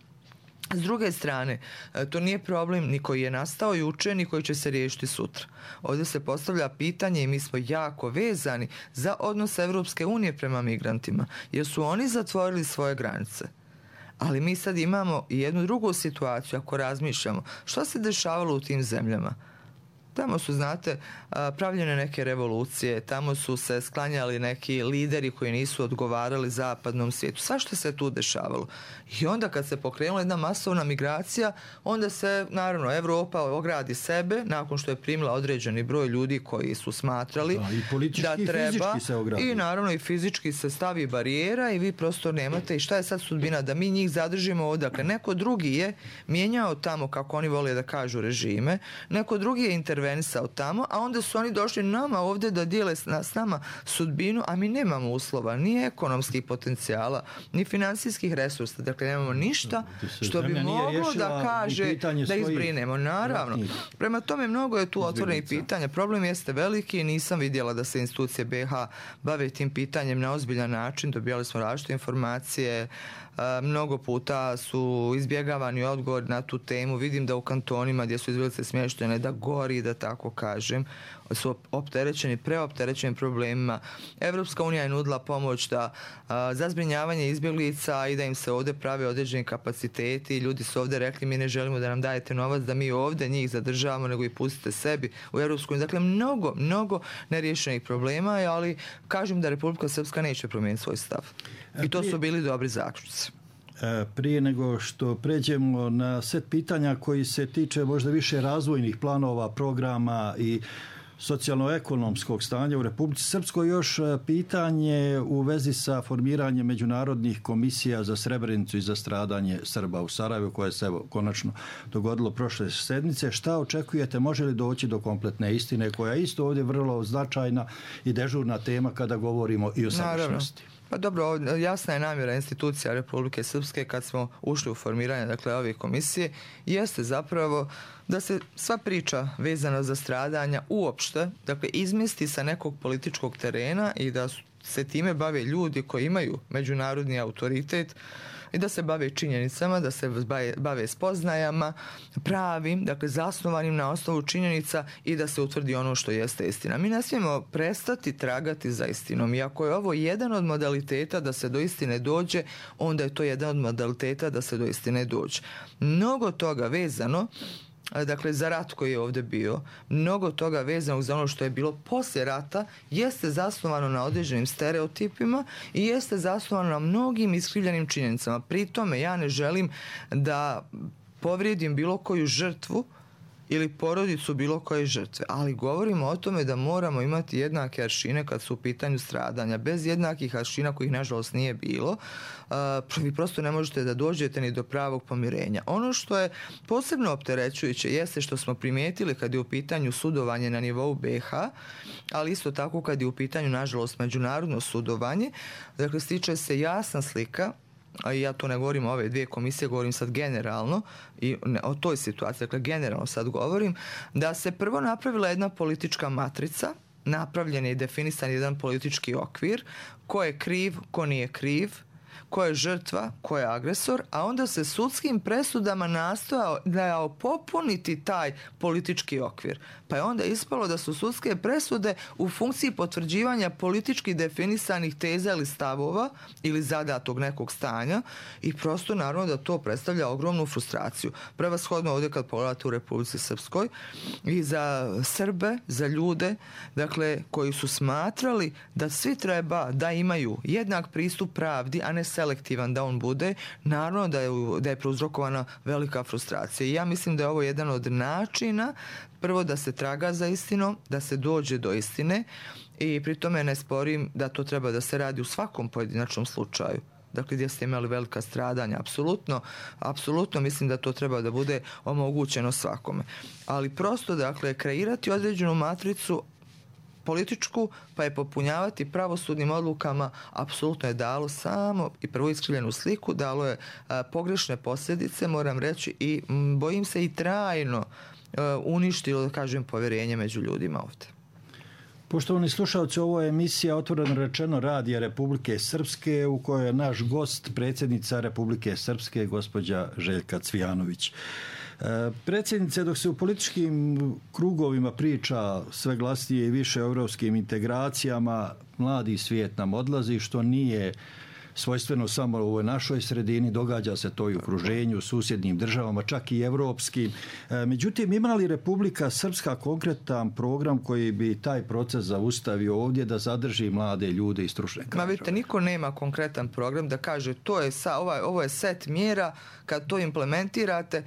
S druge strane, to nije problem ni koji je nastao juče, ni koji će se riješiti sutra. Ovdje se postavlja pitanje i mi smo jako vezani za odnos Evropske unije prema migrantima, jer su oni zatvorili svoje granice. Ali mi sad imamo i jednu drugu situaciju, ako razmišljamo, što se dešavalo u tim zemljama? Tamo su, znate, pravljene neke revolucije, tamo su se sklanjali neki lideri koji nisu odgovarali zapadnom svijetu. Svašta se tu dešavalo. I onda kad se pokrenula jedna masovna migracija, onda se, naravno, Evropa ogradi sebe, nakon što je primila određeni broj ljudi koji su smatrali da treba. I naravno i fizički se stavi barijera i vi prosto nemate. I šta je sad sudbina? Da mi njih zadržimo ovdje. Dakle, neko drugi je mijenjao tamo, kako oni vole da kažu, režime. Neko drugi je intervenisao tamo, a onda su oni došli nama ovdje da dijele s nama sudbinu, a mi nemamo uslova, ni ekonomskih potencijala, ni financijskih resursa. Dakle, nemamo ništa što bi moglo da kaže da izbrinemo. Naravno. Prema tome, mnogo je tu otvorenih pitanja. Problem jeste veliki, nisam vidjela da se institucije BiH bave tim pitanjem na ozbiljan način. Dobijali smo različite informacije, mnogo puta su izbjegavani odgovor na tu temu. Vidim da u kantonima gdje su izbjeglice smještene da gori, da tako kažem, su preopterećeni problemima. Evropska unija je nudila pomoć za zbrinjavanje izbjeglica i da im se ovdje prave određeni kapaciteti. Ljudi su ovdje rekli, mi ne želimo da nam dajete novac da mi ovdje njih zadržavamo, nego i pustite sebi u Evropsku uniju. Dakle, mnogo neriješenih problema, ali kažem da Republika Srpska neće promijeniti svoj stav. I to su bili dobri zaključci. Prije nego što pređemo na set pitanja koji se tiče možda više razvojnih planova, programa i socijalno-ekonomskog stanja u Republici Srpskoj, još pitanje u vezi sa formiranjem međunarodnih komisija za Srebrenicu i za stradanje Srba u Sarajevu, koje se konačno dogodilo prošle sedmice. Šta očekujete? Može li doći do kompletne istine, koja je isto ovdje vrlo značajna i dežurna tema kada govorimo i o sadašnjosti? Pa dobro, jasna je namjera institucija Republike Srpske kad smo ušli u formiranje, dakle, ove komisije, jeste zapravo da se sva priča vezana za stradanja uopšte, dakle, izmjesti sa nekog političkog terena i da se time bave ljudi koji imaju međunarodni autoritet i da se bave činjenicama, da se bave spoznajama, pravim, dakle, zasnovanim na osnovu činjenica i da se utvrdi ono što jeste istina. Mi ne smijemo prestati tragati za istinom. I ako je ovo jedan od modaliteta da se do istine dođe, onda je to jedan od modaliteta da se do istine dođe. Mnogo toga vezano, dakle, za rat koji je ovdje bio, mnogo toga vezanog za ono što je bilo poslije rata, jeste zasnovano na određenim stereotipima i jeste zasnovano na mnogim iskrivljenim činjenicama. Pri tome ja ne želim da povrijedim bilo koju žrtvu ili porodicu bilo koje žrtve, ali govorimo o tome da moramo imati jednake aršine kad su u pitanju stradanja. Bez jednakih aršina, kojih nažalost nije bilo, vi prosto ne možete da dođete ni do pravog pomirenja. Ono što je posebno opterećujuće jeste što smo primijetili kad je u pitanju sudovanje na nivou BiH, ali isto tako kad je u pitanju nažalost međunarodno sudovanje, dakle, stiče se jasna slika, a ja to ne govorim o ove dvije komisije, govorim sad generalno i o toj situaciji, dakle generalno sad govorim, da se prvo napravila jedna politička matrica, napravljen je i definisan jedan politički okvir, ko je kriv, ko nije kriv, ko je žrtva, ko je agresor, a onda se sudskim presudama nastojao popuniti taj politički okvir. Pa je onda ispalo da su sudske presude u funkciji potvrđivanja politički definisanih teza ili stavova ili zadatog nekog stanja i prosto naravno da to predstavlja ogromnu frustraciju. Prevashodno ovdje kad pogledate u Republici Srpskoj i za Srbe, za ljude, dakle, koji su smatrali da svi treba da imaju jednak pristup pravdi, a ne selektivan da on bude, naravno da je prouzrokovana velika frustracija. I ja mislim da je ovo jedan od načina, prvo da se traga za istinom, da se dođe do istine i pri tome ne sporim da to treba da se radi u svakom pojedinačnom slučaju. Dakle, gdje ste imali velika stradanja, apsolutno mislim da to treba da bude omogućeno svakome. Ali prosto, dakle, kreirati određenu matricu političku, pa je popunjavati pravosudnim odlukama, apsolutno je dalo samo i prvo iskrivljenu sliku, dalo je pogrešne posljedice, moram reći, i bojim se i trajno uništilo, da kažem, povjerenje među ljudima ovdje. Poštovani slušalci, ovo je emisija Otvoreno rečeno Radija Republike Srpske u kojoj je naš gost predsjednica Republike Srpske, gospođa Željka Cvijanović. Predsjednice, dok se u političkim krugovima priča sve glasnije i više o europskim integracijama, mladi svijet nam odlazi, što nije svojstveno samo u ovoj našoj sredini, događa se to i u okruženju, u susjednim državama, čak i evropskim. Međutim, ima li Republika Srpska konkretan program koji bi taj proces zaustavio ovdje da zadrži mlade ljude i stručne kadrove? Vidite, niko nema konkretan program da kaže ovo je set mjera, kad to implementirate,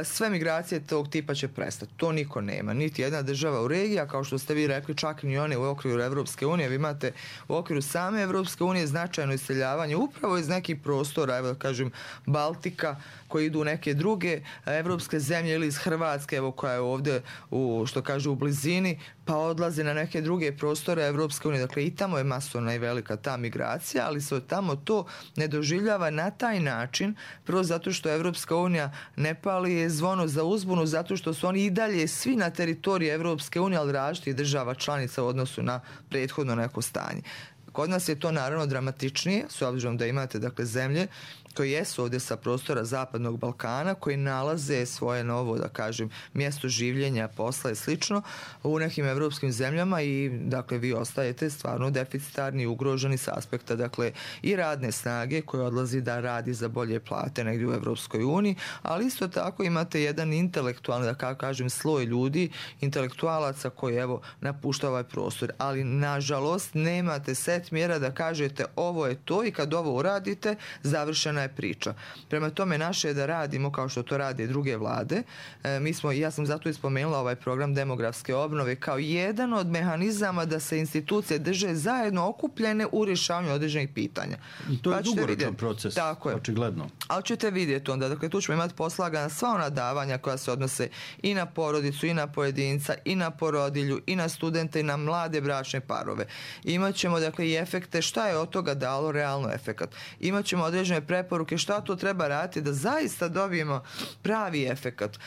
sve migracije tog tipa će prestati. To niko nema. Niti jedna država u regiji, a kao što ste vi rekli, čak ni one u okviru Evropske unije. Vi imate u okviru same Evropske unije značajno iseljavanje upravo iz nekih prostora, evo da kažem, Baltika, koji idu u neke druge evropske zemlje ili iz Hrvatske, evo koja je ovdje u blizini, pa odlaze na neke druge prostore Evropske unije. Dakle, i tamo je masovna i velika ta migracija, ali se tamo to ne doživljava na taj način, prvo zato što Evropska unija ne pali zvono za uzbunu, zato što su oni i dalje svi na teritoriji Evropske unije, ali različitih država članica u odnosu na prethodno neko stanje. Kod nas je to naravno dramatičnije, s obzirom da imate, dakle, zemlje koji jesu ovdje sa prostora Zapadnog Balkana, koji nalaze svoje novo, da kažem, mjesto življenja, posla i slično u nekim evropskim zemljama i, dakle, vi ostajete stvarno deficitarni, ugroženi s aspekta, dakle, i radne snage koje odlazi da radi za bolje plate negdje u Evropskoj uniji, ali isto tako imate jedan intelektualni, da kažem, sloj ljudi, intelektualaca koji, evo, napušta ovaj prostor, ali nažalost nemate set mjera da kažete ovo je to i kad ovo uradite, završena je priča. Prema tome, naše je da radimo kao što to rade i druge vlade. Ja sam zato ispomenula ovaj program demografske obnove kao jedan od mehanizama da se institucije drže zajedno okupljene u rješavanju određenih pitanja. To je dugoročan proces, očigledno. Ali ćete vidjeti onda, dakle, tu ćemo imati poslagana sva ona davanja koja se odnose i na porodicu, i na pojedinca, i na porodilju, i na studente, i na mlade bračne parove. Imaćemo, dakle, i efekte, šta je od toga dalo realno efekat. Imaćemo određene preporuke šta to treba raditi da zaista dobijemo pravi efekat.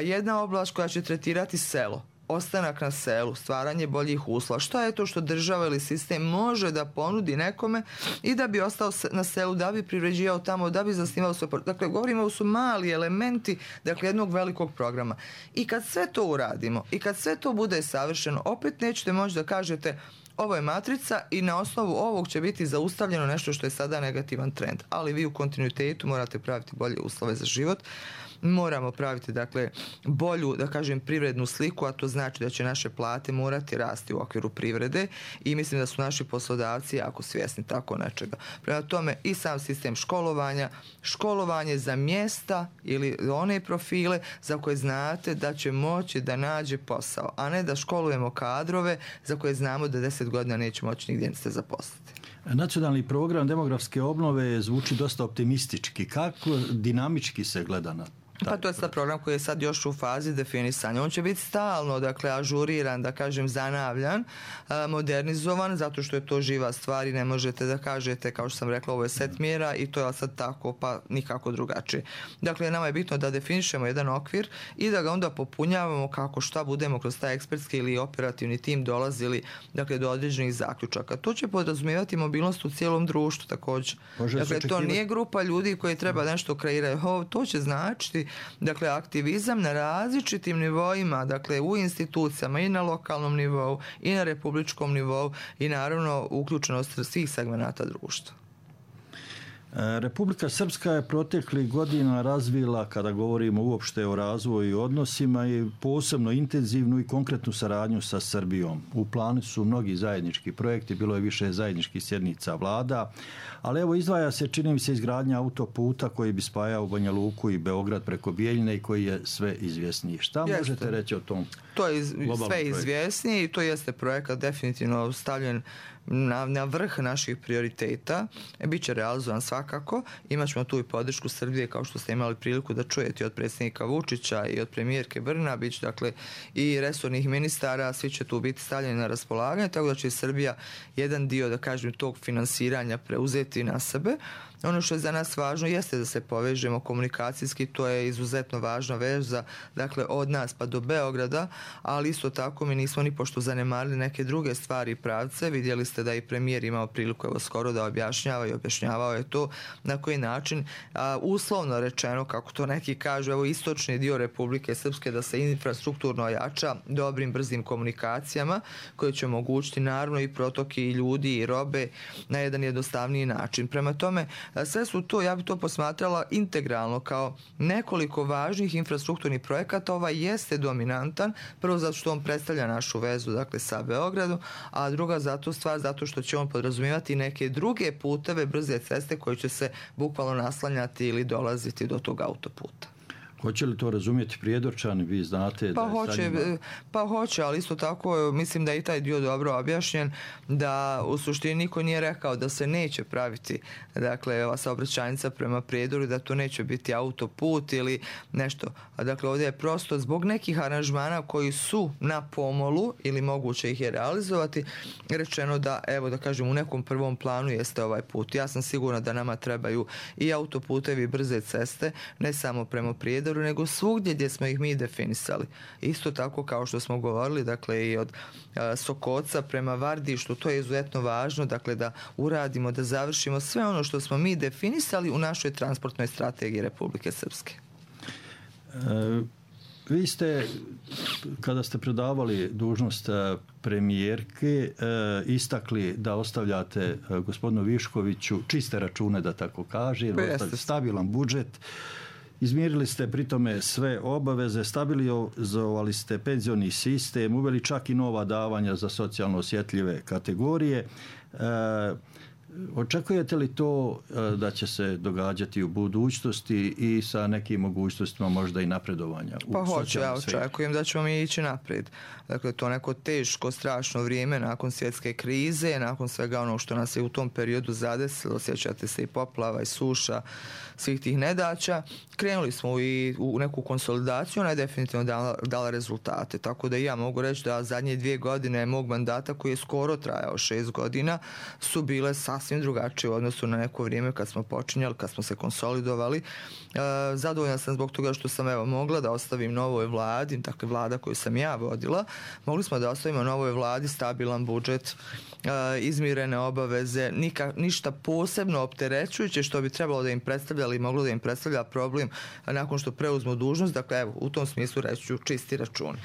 Jedna oblast koja će tretirati selo, ostanak na selu, stvaranje boljih uslova. Šta je to što država ili sistem može da ponudi nekome i da bi ostao na selu, da bi privređivao tamo, da bi zasnivao svoj porodicu. Dakle, govorimo da su mali elementi, dakle, jednog velikog programa. I kad sve to uradimo i kad sve to bude savršeno, opet nećete moći da kažete ovo je matrica i na osnovu ovog će biti zaustavljeno nešto što je sada negativan trend. Ali vi u kontinuitetu morate praviti bolje uslove za život. Moramo praviti, dakle, bolju, da kažem, privrednu sliku, a to znači da će naše plate morati rasti u okviru privrede i mislim da su naši poslodavci jako svjesni tako nečega. Prema tome i sam sistem školovanje za mjesta ili one profile za koje znate da će moći da nađe posao, a ne da školujemo kadrove za koje znamo da 10 godina neće moći nigdje se zaposliti. Nacionalni program demografske obnove zvuči dosta optimistički. Kako dinamički se gleda na Pa to je sad program koji je sad još u fazi definisanja. On će biti stalno, dakle, ažuriran, da kažem, zanavljan, modernizovan, zato što je to živa stvar i ne možete da kažete, kao što sam rekla, ovo je set mjera i to je sad tako, pa nikako drugačije. Dakle, nama je bitno da definišemo jedan okvir i da ga onda popunjavamo kako šta budemo kroz taj ekspertski ili operativni tim dolazili, dakle, do određenih zaključaka. To će podrazumijevati mobilnost u cijelom društvu također. Dakle, to nije grupa ljudi koji treba nešto kreirati. To će značiti, dakle, aktivizam na različitim nivoima, dakle, u institucijama i na lokalnom nivou i na republičkom nivou i naravno uključenost svih segmenata društva. Republika Srpska je proteklih godina razvila, kada govorimo uopšte o razvoju i odnosima, i posebno intenzivnu i konkretnu saradnju sa Srbijom. U planu su mnogi zajednički projekti, bilo je više zajedničkih sjednica vlada, ali evo izdvaja se, čini mi se, izgradnja autoputa koji bi spajao Banja Luku i Beograd preko Bijeljine i koji je sve izvjesniji. Šta možete reći o tom? To je sve izvjesnije i to jeste projekat definitivno stavljen na vrh naših prioriteta. Biće realizovan svakako. Imaćemo tu i podršku Srbije, kao što ste imali priliku da čujete od predsjednika Vučića i od premijerke Brnabić, dakle i resornih ministara, svi će tu biti stavljeni na raspolaganje, tako da će Srbija jedan dio, da kažem, tog finansiranja preuzeti na sebe. Ono što je za nas važno jeste da se povežemo komunikacijski, to je izuzetno važna veza, dakle od nas pa do Beograda, ali isto tako mi nismo ni pošto zanemarili neke druge stvari i pravce. Vidjeli ste da i premijer imao priliku evo skoro da objašnjava i objašnjavao je to na koji način, uslovno rečeno, kako to neki kažu, evo istočni dio Republike Srpske da se infrastrukturno ojača dobrim, brzim komunikacijama koje će omogućiti naravno i protoki i ljudi i robe na jedan jednostavniji način. Prema tome, sve su to, ja bi to posmatrala integralno kao nekoliko važnih infrastrukturnih projekata. Ovaj jeste dominantan, prvo zato što on predstavlja našu vezu, dakle, sa Beogradom, a druga zato što će on podrazumijevati neke druge puteve, brze ceste koje će se bukvalno naslanjati ili dolaziti do tog autoputa. Hoće li to razumjeti Prijedorčani? Vi znate Pa hoće, ali isto tako mislim da je i taj dio dobro objašnjen, da u suštini niko nije rekao da se neće praviti, dakle, ova saobraćajnica prema Prijedoru, da to neće biti autoput ili nešto. Dakle, ovdje je prosto zbog nekih aranžmana koji su na pomolu ili moguće ih je realizovati, rečeno da, evo da kažem, u nekom prvom planu jeste ovaj put. Ja sam sigurna da nama trebaju i autoputevi, brze ceste, ne samo prema Prijedoru, nego svugdje gdje smo ih mi definisali. Isto tako kao što smo govorili, dakle, i od Sokoca prema Vardištu, to je izuzetno važno, dakle, da uradimo, da završimo sve ono što smo mi definisali u našoj transportnoj strategiji Republike Srpske. Vi ste, kada ste predavali dužnost premijerke, istakli da ostavljate gospodinu Viškoviću čiste račune, da tako kaže, stabilan budžet. Izmirili ste pritome sve obaveze, stabilizovali ste penzioni sistem, uveli čak i nova davanja za socijalno osjetljive kategorije. Očekujete li to da će se događati u budućnosti i sa nekim mogućnostima možda i napredovanja? Pa hoće, ja očekujem da ćemo mi ići naprijed. Dakle, to neko teško, strašno vrijeme nakon svjetske krize, nakon svega ono što nas je u tom periodu zadesilo, sjećate se i poplava i suša, svih tih nedaća, krenuli smo i u neku konsolidaciju, ona je definitivno dala rezultate. Tako da i ja mogu reći da zadnje 2 godine mog mandata, koji je skoro trajao 6 godina, su bile sasvim drugačije u odnosu na neko vrijeme kad smo počinjali, kad smo se konsolidovali. Zadovoljna sam zbog toga što sam mogla da ostavim novoj vladi, dakle vlada koju sam ja vodila, mogli smo da ostavimo novoj vladi stabilan budžet, izmirene obaveze, ništa posebno opterećujuće što bi trebalo da im predstavlja ili moglo da im predstavlja problem nakon što preuzmu dužnost. Dakle, evo, u tom smislu reći ću čisti račun.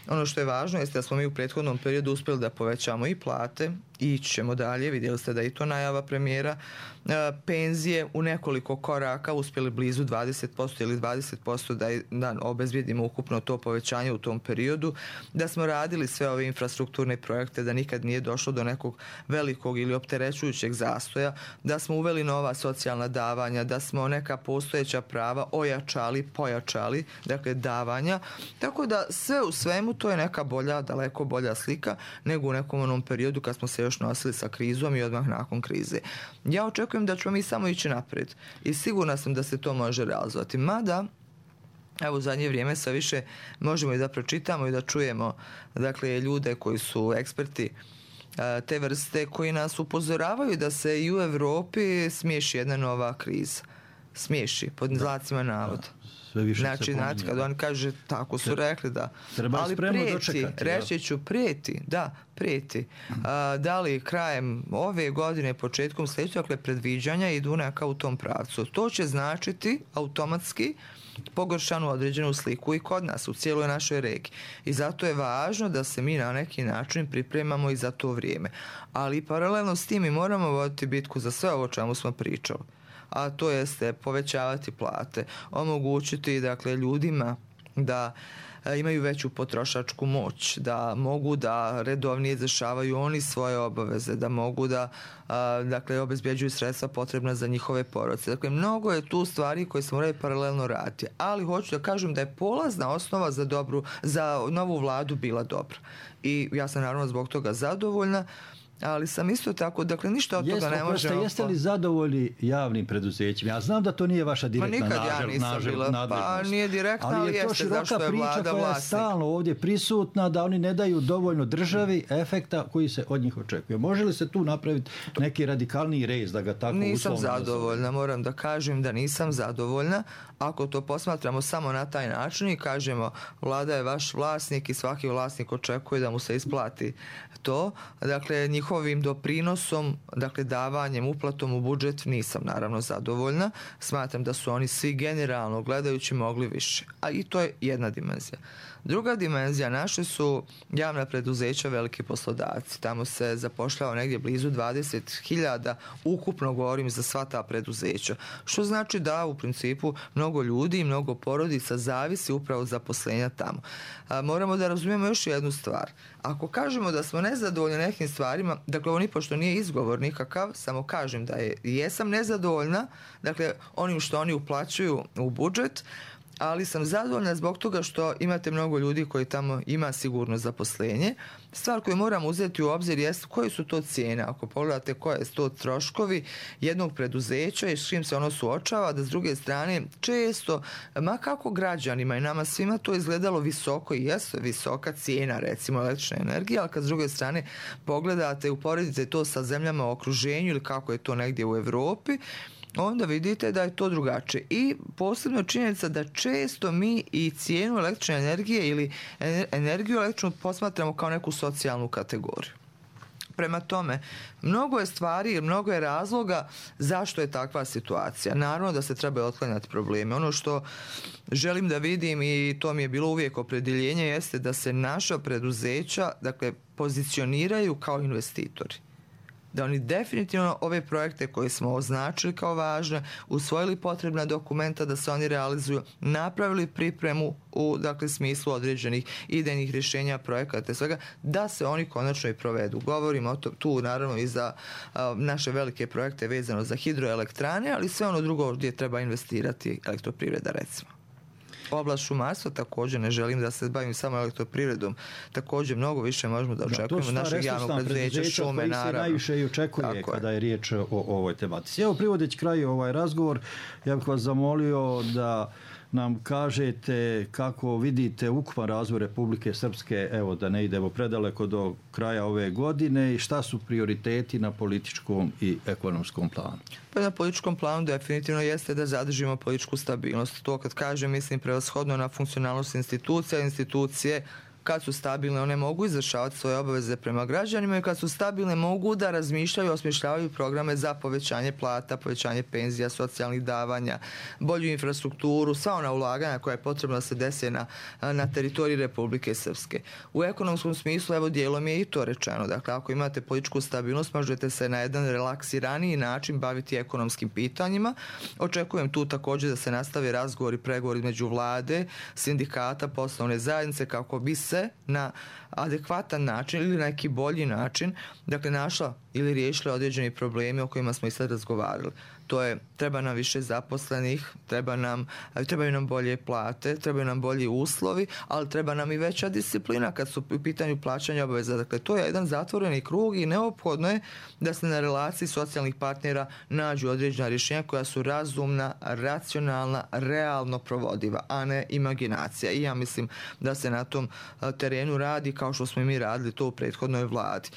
Ono što je važno jeste da smo mi u prethodnom periodu uspjeli da povećamo i plate i ići ćemo dalje. Vidjeli ste da i to najava premijera. Penzije u nekoliko koraka uspjeli blizu 20% ili 20% da obezbijedimo ukupno to povećanje u tom periodu. Da smo radili sve ove infrastrukturne projekte, da nikad nije došlo do nekog velikog ili opterećujućeg zastoja. Da smo uveli nova socijalna davanja, da smo neka postojeća prava ojačali, pojačali, dakle davanja. Tako da sve u svemu to je neka bolja, daleko bolja slika nego u nekom onom periodu kad smo se još nosili sa krizom i odmah nakon krize. Ja očekujem da ćemo mi samo ići naprijed i sigurna sam da se to može realizovati. Mada Evo u zadnje vrijeme sve više možemo i da pročitamo i da čujemo dakle ljude koji su eksperti te vrste koji nas upozoravaju da se i u Europi smiješi jedna nova kriza. Smiješi, pod znacima navoda. Znači, kad on kaže, tako su rekli da. Ali prijeti, reći ću prijeti, da, prijeti. Da li krajem ove godine, početkom sljedeće, dakle predviđanja idu neka u tom pravcu. To će značiti automatski pogoršanu određenu sliku i kod nas, u cijeloj našoj regiji. I zato je važno da se mi na neki način pripremamo i za to vrijeme. Ali paralelno s tim mi moramo voditi bitku za sve ovo čemu smo pričali. A to jeste povećavati plate, omogućiti dakle ljudima da imaju veću potrošačku moć, da mogu da redovnije izvršavaju oni svoje obaveze, da mogu da dakle obezbjeđuju sredstva potrebna za njihove porodice. Dakle, mnogo je tu stvari koje se moraju paralelno raditi, ali hoću da kažem da je polazna osnova za novu vladu bila dobra. I ja sam naravno zbog toga zadovoljna. Ali sam isto tako, dakle ništa od toga ne možemo... Jeste li zadovoljni javnim preduzećima? Ja znam da to nije vaša direktna nadležnost. Pa nije direktna, ali jeste zašto je vlada vlasnik. Ali je to široka priča koja je stalno ovdje prisutna, da oni ne daju dovoljno državi efekta koji se od njih očekuje. Može li se tu napraviti neki radikalniji rez da ga tako uslovno... Nisam zadovoljna, moram da kažem da nisam zadovoljna. Ako to posmatramo samo na taj način i kažemo vlada je vaš vlasnik i svaki vlasnik očekuje da mu se isplati to, dakle njihovim doprinosom, dakle davanjem, uplatom u budžet nisam naravno zadovoljna. Smatram da su oni svi generalno gledajući mogli više. A i to je jedna dimenzija. Druga dimenzija, naše su javna preduzeća veliki poslodavci. Tamo se zapošljava negdje blizu 20.000, ukupno govorim za sva ta preduzeća. Što znači da u principu mnogo ljudi i mnogo porodica zavisi upravo od zaposlenja tamo. Moramo da razumijemo još jednu stvar. Ako kažemo da smo nezadovoljni nekim stvarima, dakle ovo nipošto nije izgovor nikakav, samo kažem da jesam nezadovoljna, dakle onim što oni uplaćuju u budžet, ali sam zadovoljna zbog toga što imate mnogo ljudi koji tamo ima sigurno zaposlenje. Stvar koju moramo uzeti u obzir jeste koje su to cijene. Ako pogledate koje su to troškovi jednog preduzeća i s čim se ono suočava, da s druge strane često, ma kako građanima i nama svima to izgledalo visoko i jesu visoka cijena recimo električne energije, ali kad s druge strane pogledate i uporedite to sa zemljama u okruženju ili kako je to negdje u Europi, onda vidite da je to drugačije. I posebno činjenica da često mi i cijenu električne energije ili energiju električnu posmatramo kao neku socijalnu kategoriju. Prema tome, mnogo je stvari, mnogo je razloga zašto je takva situacija. Naravno da se treba otklanjati probleme. Ono što želim da vidim i to mi je bilo uvijek opredjeljenje jeste da se naša preduzeća dakle, pozicioniraju kao investitori. Da oni definitivno ove projekte koje smo označili kao važne, usvojili potrebna dokumenta da se oni realizuju, napravili pripremu u dakle, smislu određenih idejnih rješenja projekata i svega, da se oni konačno i provedu. Govorimo tu naravno i za naše velike projekte vezano za hidroelektrane, ali sve ono drugo gdje treba investirati elektroprivreda recimo. Oblast šumarstva također, ne želim da se bavim samo elektroprivredom, također mnogo više možemo da očekujemo našeg javnog preduzeća, šume, naravno. To su najviše i očekuje kada je riječ o ovoj tematici. Evo, privodeći kraju ovaj razgovor, ja bih vas zamolio da nam kažete kako vidite ukupan razvoj Republike Srpske, evo da ne idemo predaleko do kraja ove godine i šta su prioriteti na političkom i ekonomskom planu? Pa na političkom planu definitivno jeste da zadržimo političku stabilnost. To kad kažem mislim prevashodno na funkcionalnost institucija. Institucije kad su stabilne one mogu izvršavati svoje obaveze prema građanima i kad su stabilne mogu da razmišljaju i osmišljavaju programe za povećanje plata, povećanje penzija, socijalnih davanja, bolju infrastrukturu, sva ona ulaganja koja je potrebno da se dese na teritoriji Republike Srpske. U ekonomskom smislu, evo dijelom je i to rečeno. Dakle, ako imate političku stabilnost, možete se na jedan relaksiraniji način baviti ekonomskim pitanjima. Očekujem tu također da se nastavi razgovor i pregovori među vlade, sindikata, poslovne zajednice kako bi se na adekvatan način ili neki bolji način dakle našla ili riješili određeni problemi o kojima smo i sad razgovarali. To je, treba nam više zaposlenih, trebaju nam bolje plate, trebaju nam bolji uslovi, ali treba nam i veća disciplina kad su u pitanju plaćanja obaveza. Dakle, to je jedan zatvoreni krug i neophodno je da se na relaciji socijalnih partnera nađu određena rješenja koja su razumna, racionalna, realno provodiva, a ne imaginacija. I ja mislim da se na tom terenu radi kao što smo i mi radili to u prethodnoj vladi.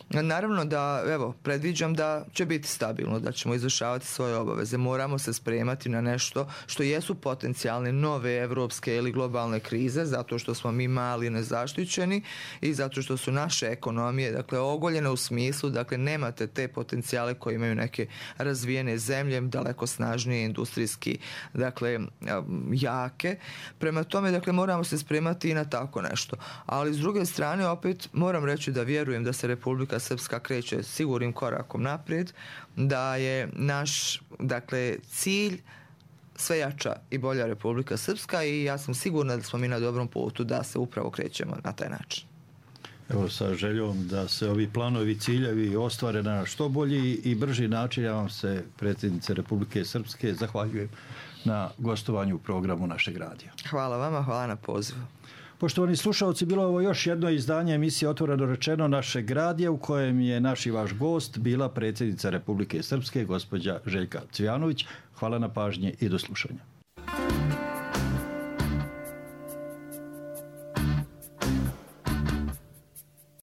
Naravno da, predviđam da će biti stabilno, da ćemo izvršavati svoje obaveze. Moramo se spremati na nešto što jesu potencijalne nove evropske ili globalne krize, zato što smo mi mali nezaštićeni i zato što su naše ekonomije, dakle, ogoljene u smislu, dakle, nemate te potencijale koje imaju neke razvijene zemlje, daleko snažnije industrijski, dakle, jake. Prema tome, dakle, moramo se spremati i na tako nešto. Ali s druge strane, opet moram reći da vjerujem da se Republika Srpska kreće sigurnim korakom naprijed, da je naš, dakle, cilj sve jača i bolja Republika Srpska i ja sam sigurna da smo mi na dobrom putu da se upravo krećemo na taj način. Evo, sa željom da se ovi planovi, ciljevi ostvare na što bolji i brži način. Ja vam se, predsjednice Republike Srpske, zahvaljujem na gostovanju u programu našeg radija. Hvala vama, hvala na pozivu. Poštovani slušalci, bilo je ovo još jedno izdanje emisije Otvoreno rečeno našeg radija u kojem je naš i vaš gost bila predsjednica Republike Srpske, gospođa Željka Cvijanović. Hvala na pažnji i do slušanja.